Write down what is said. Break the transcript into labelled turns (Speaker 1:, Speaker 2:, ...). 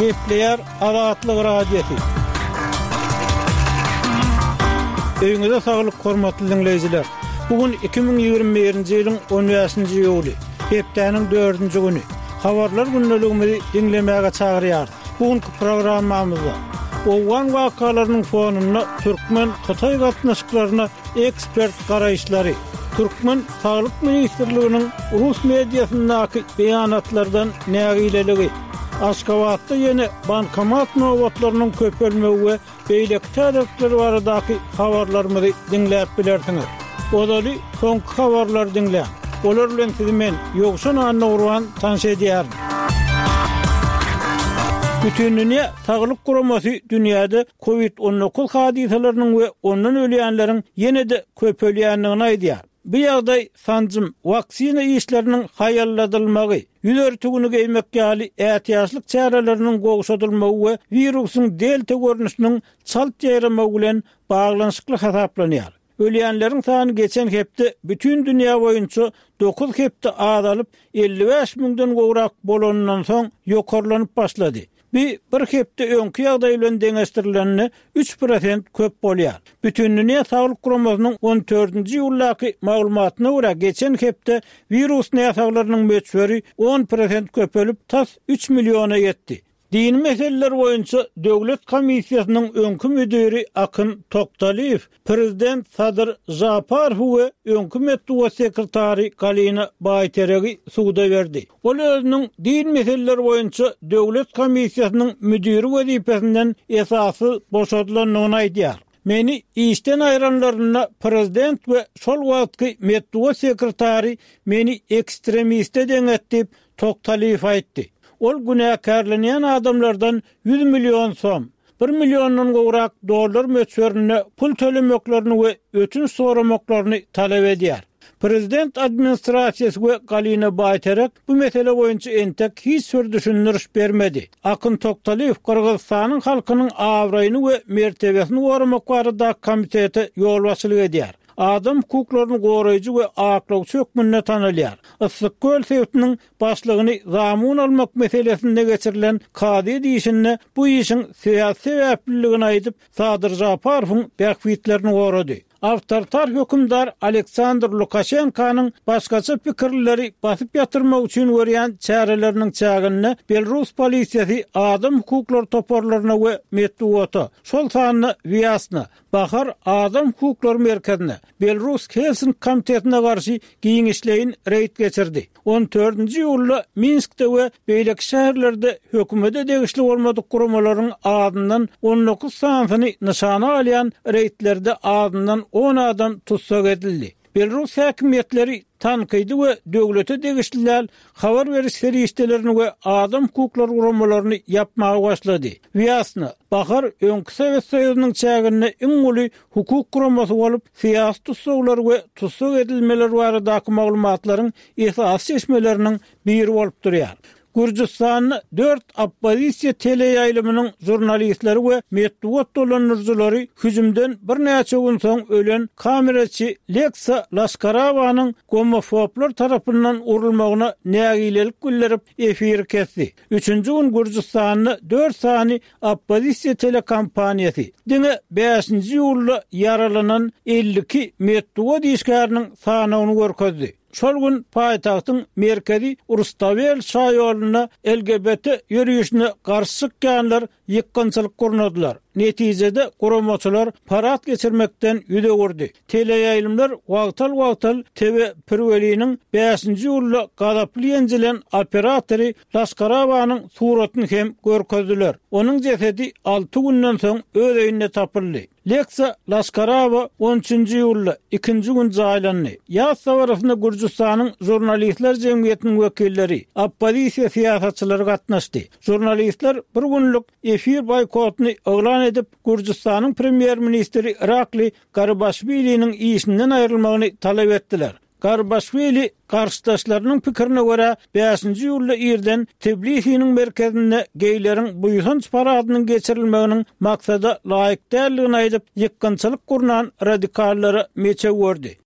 Speaker 1: Gepleýär Azatlyk Radiosy. Öýüňize saglyk hormatly diňleýjiler. Bu gün 2021-nji ýylyň 15-nji iýuly, hepdäniň dördünji güni. Habarlar gündeligimizi diňlemäge çagyrýarys. Bu günki programmamyzda owgan wakalarynyň fonunda türkmen-hytaý gatnaşyklaryna ekspert garaýyşlary, türkmen Saglyk ministrliginiň rus mediasyndaky beýanatlardan nägileligi, Aşgabatda ýene bankomat nobatlarynyň köpelmegi we beýleki täzelikler baradaky habarlarymyzy diňläp bilersiňiz. Ozaly soňky habarlary diňläň. Olar bilen sizi men, Ýowşan Annagurban tanyş edýärin. Bütindünýä Saglyk Guramasy dünýäde Covid 19 hadysalarynyň we ondan ölýänleriň ýene-de köpelýändigini aýdýar. Bu ýagdaý sanjym, waksina işleriniň haýalladylmagy, ýüz örtügini geýmek ýaly ätiýaçlyk çäreleriniň gowşadylmagy we wirusyň delta görnüşiniň çalt ýaýramagy bilen baglanyşykly hasaplanýar. Ölýänleriň sany geçen hepde bütin dünýä boýunça dokuz hepde azalyp, 55 müňden gowrak bolanyndan soň ýokarlanyp başlady. Bu bir hepde öňki ýagdaý bilen deňeşdirilende 3% köp bolýar. Bütindünýä Saglyk Guramasynyň on dördünji iýuldaky maglumatyna görä, geçen hepde wirus näsaglarynyň möçberi 10% köpelip, tas üç milliona ýetdi. Dini meseleler boýunça döwlet komissiýasynyň öňki müdiri Akyn Toktalyýew prezident Sadyr Žaparowy we öňki metbugat sekretary Galina Baýteregi suda berdi. Ol özüniň din meseleleri boýunça döwlet komissiýasynyň müdiri wezipesinden esassyz boşadylandygyny aýdýar. Meni işden aýranlarynda prezident we şol wagtky metbugat sekretary meni ekstremiste deňetdi diýip, Toktalyýew aýtdy. Ol günäkärlenýän adamlardan 100 million som, bir milliondan gowrak dollar möçberinde pul tölemeklerini we ötünç soramaklaryny talap edýär. Prezident administrasiýasy we Galina Baýterek bu mesele boýunça entek hiç bir düşündiriş bermedi. Akyn Toktalyýew Gyrgyzystanyň halkynyň abraýyny we mertebesini goramak baradaky komitete ýolbaşçylyk edýär. Adam hukuklaryny goraýjy we aklawçy hökmünde tanalýar. Yssyk-Köl sebitiniň başlygyny zamun almak meselesinde geçirilen kazyýet işinde bu işiň syýasy sebäpliligini aýdyp, Sadyr Žaparowyň bähbitlerini gorady. Awtoritar hökümdar Aleksandr Lukaşenkanyň başgaça pikirlileri basyp ýatyrmak üçin görýän çäreleriniň çäginde belrus polisiýasy adam hukuklary toparlaryna we metbugata, şol sanda Wýasna, Bahar adam hukuklary merkezine, Belrus Helsink komitetine garşy giňişleýin reýd geçirdi. On dördünji iýulda Minskde we beýleki şäherlerde hökümete degişli bolmadyk guramalaryň azyndan 19 sanysyny nyşana alýan reýdlerde azyndan on adam tussag edildi. Belrus häkimiýetleri tankydy we döwlete degişli däl habar beriş serişdelerini we adam hukuklary guramalaryny ýapmaga başlady. Wýasna, Bahar öňki Sowet Soýuzynyň çäginde iň uly hukuk guramasy bolup, syýasy tussaglar we tussag edilmeler baradaky maglumatlaryň esasy çeşmeleriniň biri bolup durýar. Gürjüstanda dört oppozisiýa teleýaýlymynyň žurnalistleri we metbugat dolandyryjylary hüjümden birnäçe gün soň ölen kameraçy Leksa Laşkarawanyň gomofoblar tarapyndan urulmagyna nägilelik bildirip, efiri kesdi. Üçünji gün Gürjüstanda dört sany oppozisiýa telekompaniýasy diňe bäşinji iýulda ýaralanan 52 metbugat işgäriniň sanawyny görkezdi. Şol gün paýtagtyň merkezi Rustawel şaýolunda LGBT ýörişine garşy çykýanlar ýykgynçylyk gurnadylar. Netijede guramaçylar parad geçirmekden ýüz öwürdi. Teleýaýlymlar wagtal-wagtal TV Pirweliniň bäşinji iýulda gazaply ýenjilen operatory Laşkarabanyň suratyny hem görkezdiler. Onuň jesedi alty günden soň öz öýünde tapyldy. Leksa Laşkarawa on üçünji iýulda, ikinji gün jaýlandy. Ýas dabarasynda Gürjüstanyň Žurnalistler jemgyýetiniň wekilleri, oppozisiýa syýasatçylary gatnaşdy. Žurnalistler bir günlük efir boýkotyny yglan edip, Gürjüstanyň premýer-ministri Irakli Garibaşwiliniň işinden aýrylmagyny talap etdiler. Garbaşwili garşydaşlarynyň pikirine görä, bäşinji iýulda irden Tbilisiniň merkezinde geýleriň buýsanç paradynyň geçirilmeginiň maksada laýyk däldigini aýdyp, ýykgynçylyk gurnan radikallara meçew berdi.